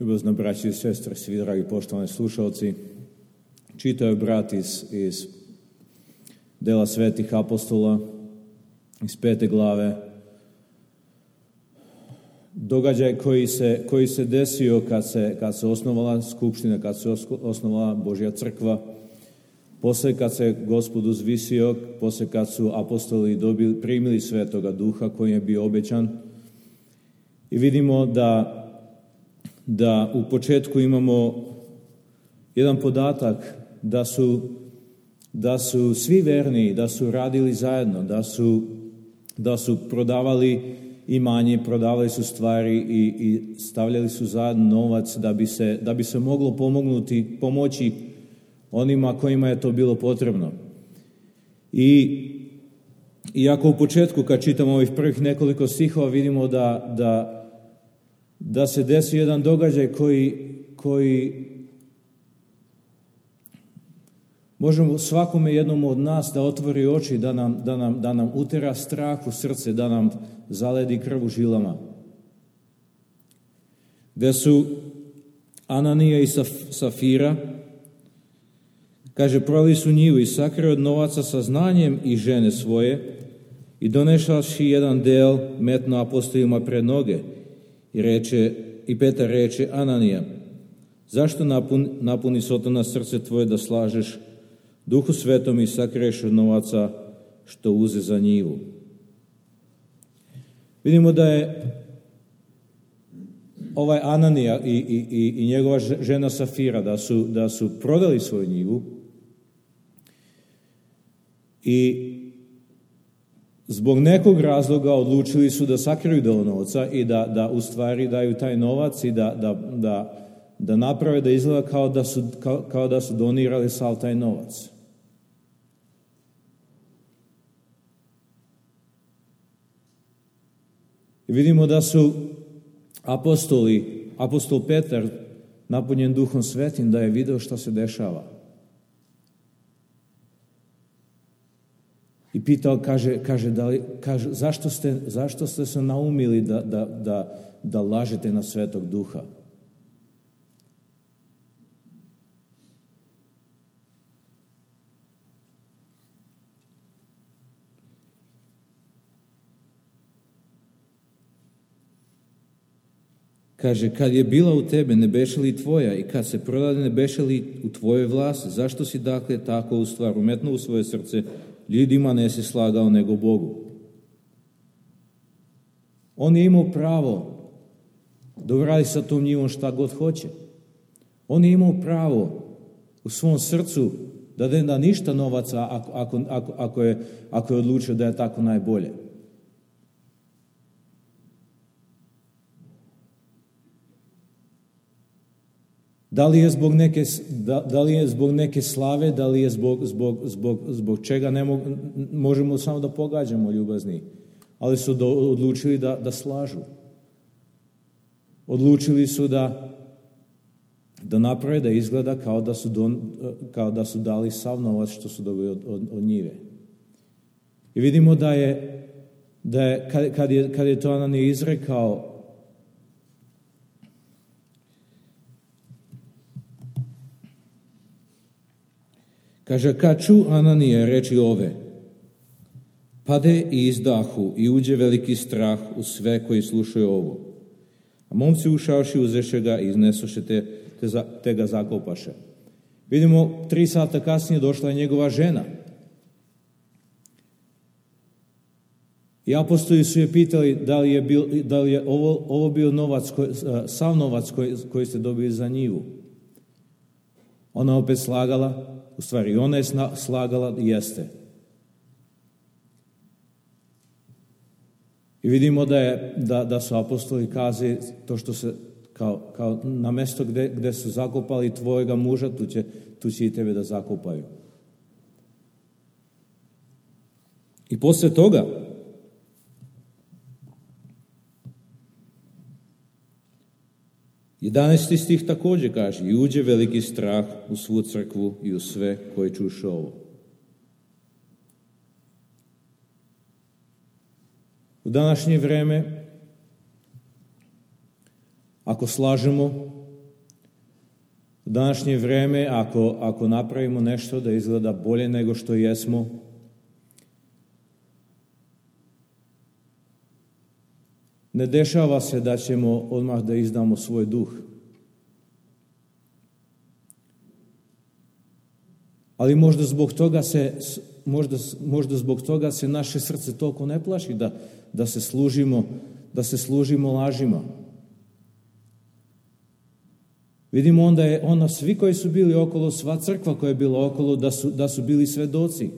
Ljubazna braći i sestre, svi dragi poštovani slušalci, čitao je brat iz dela svetih apostola, iz 5. glave, događaj koji se desio kad se osnovala skupština, kad se osnovala Božja crkva, posle kad se Gospod uzvisio, posle kad su apostoli primili Svetoga Duha koji je bio obećan. I vidimo da u početku imamo jedan podatak da su svi verni, da su radili zajedno, da su prodavali imanje, prodavali su stvari i stavljali su zajedno novac da bi se moglo pomoći onima kojima je to bilo potrebno. Iako u početku kad čitamo ovih prvih nekoliko stihova vidimo da se desi jedan događaj koji možemo svakome jednom od nas da otvori oči, da nam utera strah u srce, da nam zaledi krv u žilama. Gde su Ananija i Safira, kaže, prodali su njivu i sakrili od novaca sa znanjem i žene svoje i donešavši jedan del metno apostolima pred noge. I Petar reče, Ananija, zašto napuni Sotona srce tvoje da slažeš Duhu Svetom i sakriješ od novaca što uze za njivu? Vidimo da je ovaj Ananija i njegova žena Safira da su prodali svoju njivu i zbog nekog razloga odlučili su da sakriju deo novca i da u stvari daju taj novac i da naprave da izgleda kao da su donirali sav taj novac. I vidimo da su apostol Petar, napunjen Duhom Svetim, da je video šta se dešava. I pitao, kaže, zašto ste se naumili da lažete na Svetog Duha? Kaže, kad je bila u tebe, ne beše li tvoja, i kad se prodade, ne beše li u tvojoj vlasti? Zašto si dakle tako u stvar umetno u svoje srce? Ljudima ne si slagao nego Bogu. On je imao pravo da uradi sa tom njivom šta god hoće. On je imao pravo u svom srcu da ne da ništa novaca ako je odlučio da je tako najbolje. Da li je zbog neke slave, da li je zbog čega, možemo samo da pogađamo, ljubazni, ali su odlučili da slažu. Odlučili su da naprave da izgleda kao da su dali sav novac što su dobili od njive. I vidimo da je kad je to Ananija izrekao, kaže, kad ču Ananija reči ove, pade i izdahu i uđe veliki strah u sve koji slušaju ovo. A momci ušavši uzeše ga i iznesoše te ga zakopaše. Vidimo, 3 sata kasnije došla je njegova žena. I apostoli su je pitali da li je ovo bio novac, sav novac koji ste dobili za njivu. Ona opet slagala. U stvari, ona je slagala, jeste. I vidimo da su apostoli kazali to što se, kao na mesto gde su zakopali tvojega muža, tu će i tebe da zakopaju. I posle toga, Jedanaesti stih također kaže, i uđe veliki strah u svu crkvu i u sve koji čuše ovo. U današnje vreme, ako slažemo, U današnje vreme, ako napravimo nešto da izgleda bolje nego što jesmo, ne dešava se da ćemo odmah da izdamo svoj duh. Ali možda zbog toga se naše srce toliko ne plaši da se služimo lažima. Vidimo onda svi koji su bili okolo, sva crkva koja je bila okolo, da su bili svedoci.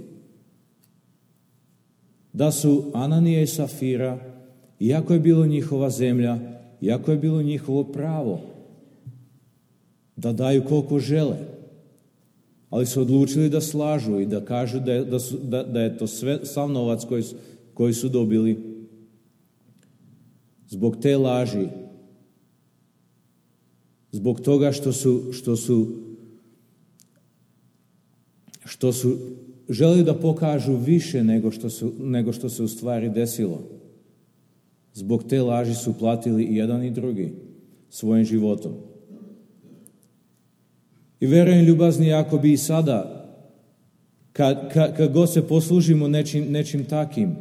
Da su Ananija i Safira, iako je bilo njihova zemlja, iako je bilo njihovo pravo, da daju koliko žele, ali su odlučili da slažu i da kažu da je to sav novac koji su dobili zbog te laži, zbog toga što su želeli da pokažu više nego što se u stvari desilo. Zbog te laži su platili i jedan i drugi svojim životom. I verujem, ljubazni, ako bi i sada, kad god se poslužimo nečim takim,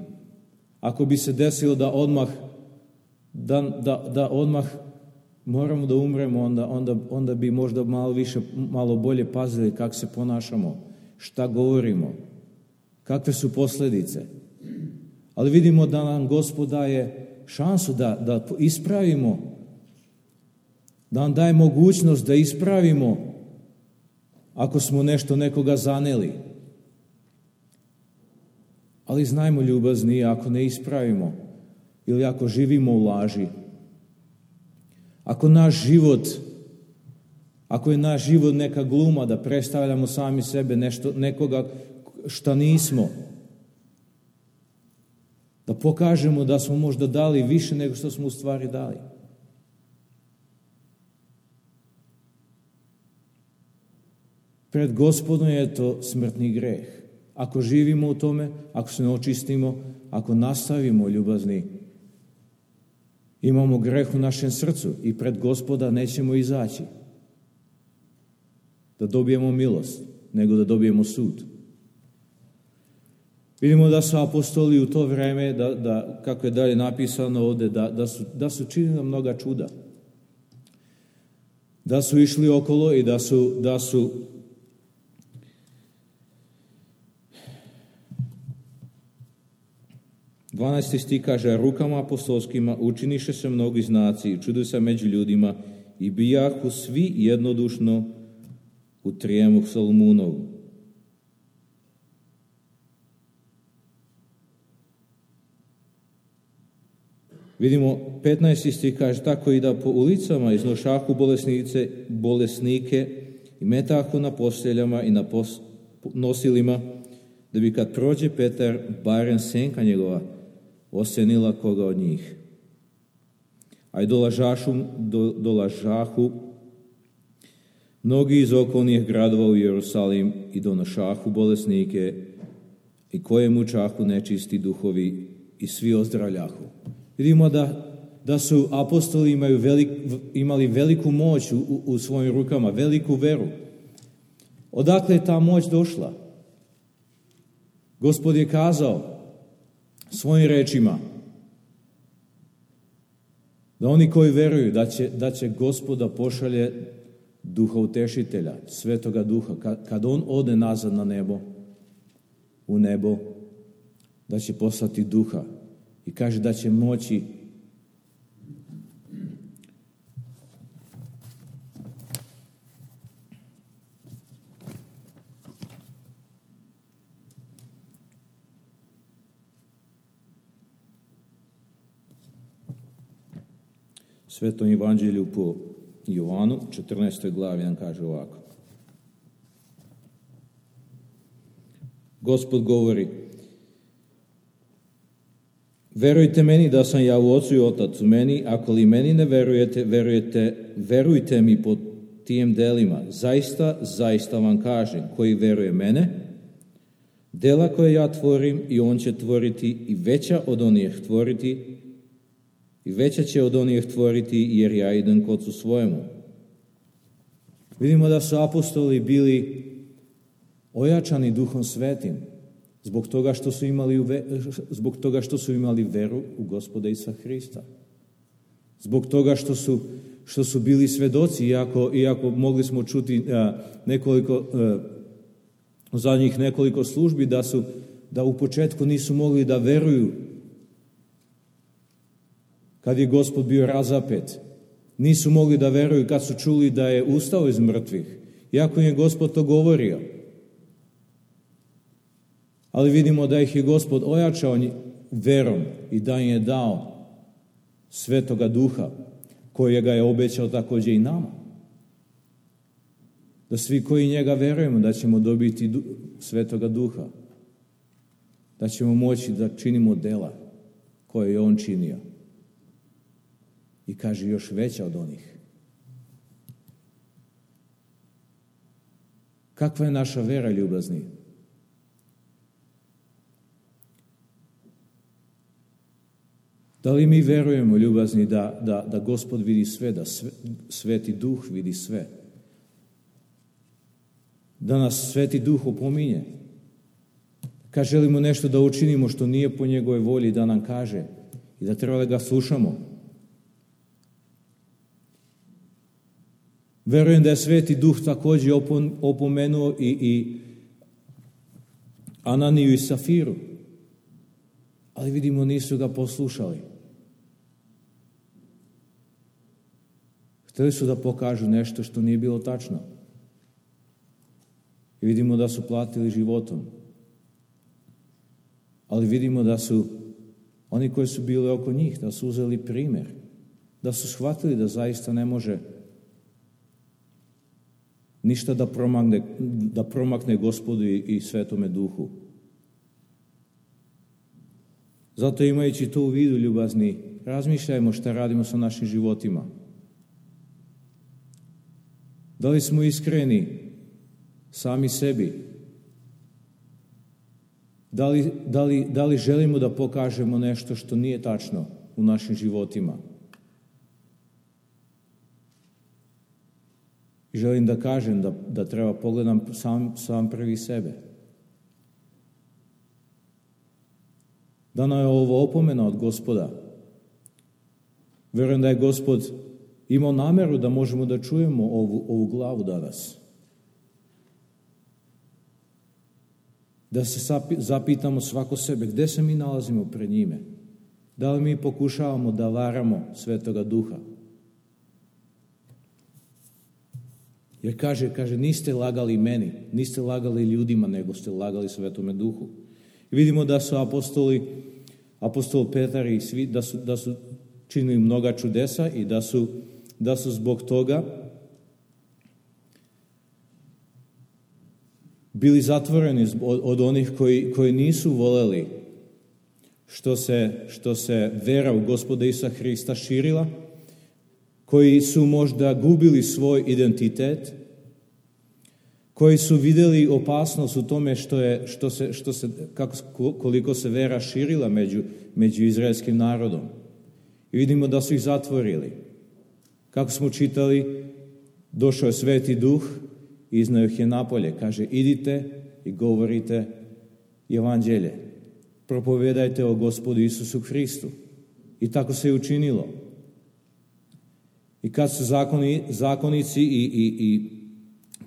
ako bi se desilo da odmah moramo da umremo, onda bi možda malo bolje pazili kako se ponašamo, šta govorimo, kakve su posljedice. Ali vidimo da nam Gospod daje šansu da ispravimo, da nam daje mogućnost da ispravimo ako smo nekoga zaneli. Ali znajmo, ljubazni, ako ne ispravimo ili ako živimo u laži, ako je naš život neka gluma da predstavljamo sami sebe nekoga šta nismo, da pokažemo da smo možda dali više nego što smo u stvari dali. Pred Gospodom je to smrtni greh. Ako živimo u tome, ako se ne očistimo, ako nastavimo, ljubazni, imamo greh u našem srcu i pred Gospoda nećemo izaći da dobijemo milost, nego da dobijemo sud. Vidimo da su apostoli u to vreme, kako je dalje napisano ovdje, da su činili mnoga čuda. Da su išli okolo i da su 12. stih kaže, rukama apostolskima učiniše se mnogi znaci i čudo se među ljudima i bijahu svi jednodušno u trijemuh Solomunovu. Vidimo, 15. stih kaže, tako i da po ulicama iznošahu bolesnike i metahu na posteljama i na nosilima, da bi kad prođe Petar, barem senka njegova osenila koga od njih. A i dolažahu mnogi iz okolnih gradova u Jerusalim i donošahu bolesnike i koje mučahu nečisti duhovi i svi ozdravljahu. Vidimo da su apostoli imali veliku moć u svojim rukama, veliku veru. Odakle je ta moć došla? Gospod je kazao svojim rečima da oni koji veruju da će Gospoda pošalje duha utešitelja, svetoga duha, kad on ode nazad u nebo, da će poslati duha i kaže da će moći Svetom evanđelju po Jovanu, 14. glavi nam kaže ovako. Gospod govori, verujte meni da sam ja u Ocu i Otac u meni, ako li meni ne verujte mi po tijem delima. Zaista vam kažem, koji veruje mene, dela koje ja tvorim i on će tvoriti i veća od onih tvoriti, i veća će od onih tvoriti, jer ja idem k Ocu svojemu. Vidimo da su apostoli bili ojačani Duhom Svetim zbog toga što su imali veru u Gospoda Isusa Hrista. Zbog toga što su bili svedoci, iako mogli smo čuti u zadnjih nekoliko službi da u početku nisu mogli da veruju kad je Gospod bio razapet. Nisu mogli da veruju kad su čuli da je ustao iz mrtvih, iako im je Gospod to govorio. Ali vidimo da ih je Gospod ojačao verom i da im je dao Svetoga Duha, kojega je obećao također i nama. Da svi koji njega verujemo da ćemo dobiti Svetoga Duha, da ćemo moći da činimo dela koje je on činio. I kaže još veća od onih. Kakva je naša vera, ljubazni? Da li mi verujemo, ljubazni, da Gospod vidi sve, da Sveti Duh vidi sve? Da nas Sveti Duh opominje? Kad želimo nešto da učinimo što nije po njegove volji, da nam kaže i da treba da ga slušamo. Verujem da je Sveti Duh također opomenuo i Ananiju i Safiru, ali vidimo nisu ga poslušali. Htjeli su da pokažu nešto što nije bilo tačno. I vidimo da su platili životom. Ali vidimo da su oni koji su bili oko njih, da su uzeli primjer, da su shvatili da zaista ne može ništa da promakne Gospodu i Svetome Duhu. Zato imajući to u vidu, ljubazni, razmišljajmo šta radimo sa našim životima. Da li smo iskreni sami sebi? Da li želimo da pokažemo nešto što nije tačno u našim životima? I želim da kažem da treba pogledam sam prvi sebe. Da nam je ovo opomena od Gospoda. Vjerujem da je Gospod imao namjeru da možemo da čujemo ovu glavu danas. Da se zapitamo svako sebe gdje se mi nalazimo pred njime. Da li mi pokušavamo da varamo Svetoga Duha? Jer kaže, niste lagali meni, niste lagali ljudima, nego ste lagali Svetome Duhu. I vidimo da su apostol Petar i svi, da su činili mnoga čudesa i da su zbog toga bili zatvoreni od onih koji nisu voleli što se vera u Gospoda Isusa Hrista širila, koji su možda gubili svoj identitet, koji su vidjeli opasnost u tome koliko se vera širila među izraelskim narodom. I vidimo da su ih zatvorili. Kako smo čitali, došao je Sveti Duh i izneo ih je napolje. Kaže, idite i govorite evanđelje. Propovedajte o Gospodu Isusu Hristu. I tako se je učinilo. I kad su zakonici i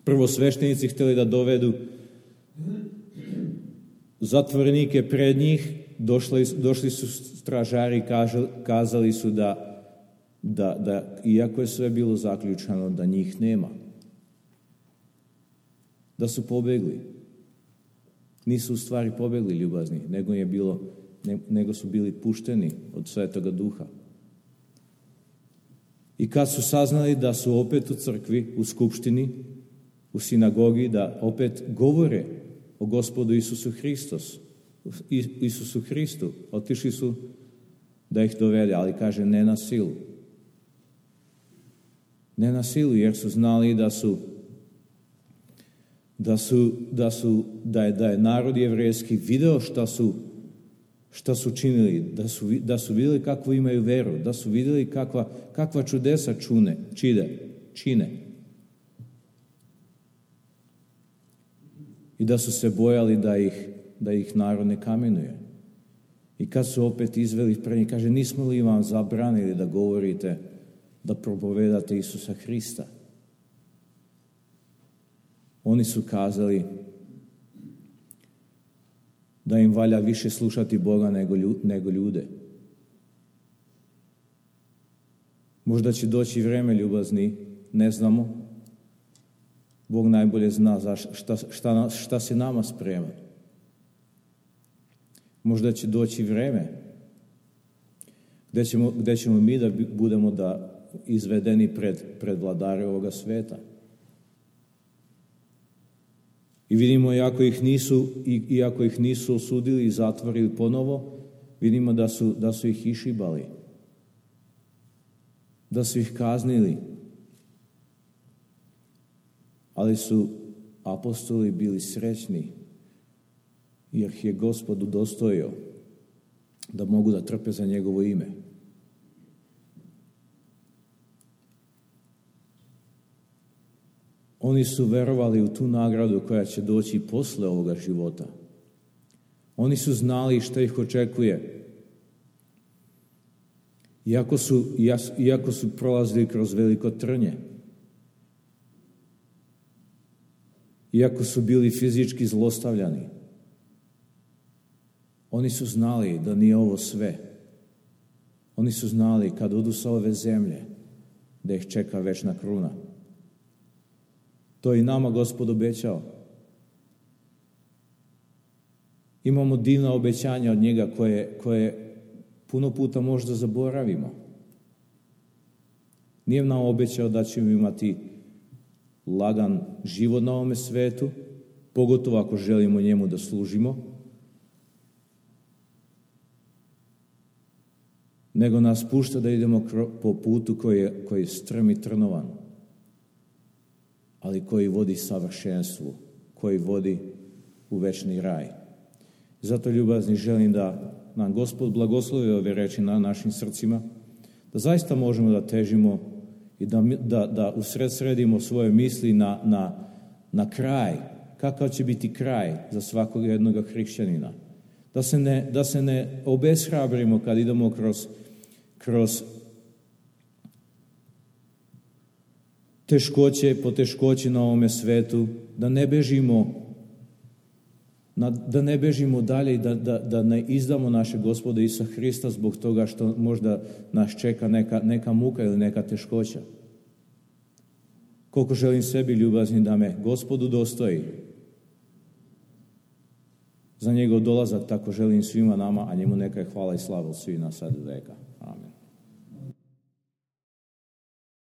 prvosveštenici htjeli da dovedu zatvorenike pred njih, došli su stražari i kazali su da iako je sve bilo zaključano, da njih nema. Da su pobegli. Nisu u stvari pobegli, ljubazni, nego su bili pušteni od Svetoga Duha. I kad su saznali da su opet u crkvi, u skupštini, u sinagogi, da opet govore o Gospodu Isusu Hristu, otišli su da ih dovede, ali kaže ne na silu. Ne na silu, jer su znali da je narod jevrejski video šta su činili, da su vidjeli kakvu imaju veru, da su vidjeli kakva čudesa čine. i da su se bojali da ih narod ne kamenuje. I kad su opet izveli pred njih, kaže, nismo li vam zabranili da govorite, da propovedate Isusa Hrista? Oni su kazali da im valja više slušati Boga nego ljude. Možda će doći vrijeme, ljubazni, ne znamo. Bog najbolje zna šta se nama sprema. Možda će doći vrijeme gdje ćemo mi da budemo izvedeni pred vladare ovoga sveta. I vidimo, iako ih nisu osudili i zatvorili ponovo, vidimo da su ih išibali, da su ih kaznili. Ali su apostoli bili srećni, jer ih je Gospod udostojio da mogu da trpe za njegovo ime. Oni su verovali u tu nagradu koja će doći posle ovoga života. Oni su znali šta ih očekuje. Iako su prolazili kroz veliko trnje, iako su bili fizički zlostavljani, oni su znali da nije ovo sve. Oni su znali kad odu sa ove zemlje da ih čeka večna kruna. To je i nama Gospod obećao. Imamo divna obećanja od njega koje puno puta možda zaboravimo. Nije nam obećao da ćemo imati lagan život na ovome svetu, pogotovo ako želimo njemu da služimo, nego nas pušta da idemo po putu koji je strm i trnovan, ali koji vodi savršenstvu, koji vodi u večni raj. Zato, ljubazni, želim da nam Gospod blagoslovi ove reči na našim srcima, da zaista možemo da težimo i da usredsredimo svoje misli na kraj. Kakav će biti kraj za svakog jednog hrišćanina? Da se ne obeshrabrimo kad idemo kroz poteškoće na ovome svetu, da ne bežimo dalje i da ne izdamo naše Gospoda Isusa Hrista zbog toga što možda nas čeka neka muka ili neka teškoća. Koliko želim sebi, ljubazni, da me Gospod udostoji za njegov dolazak, tako želim svima nama, a njemu neka je hvala i slava od svih nas sad i veka.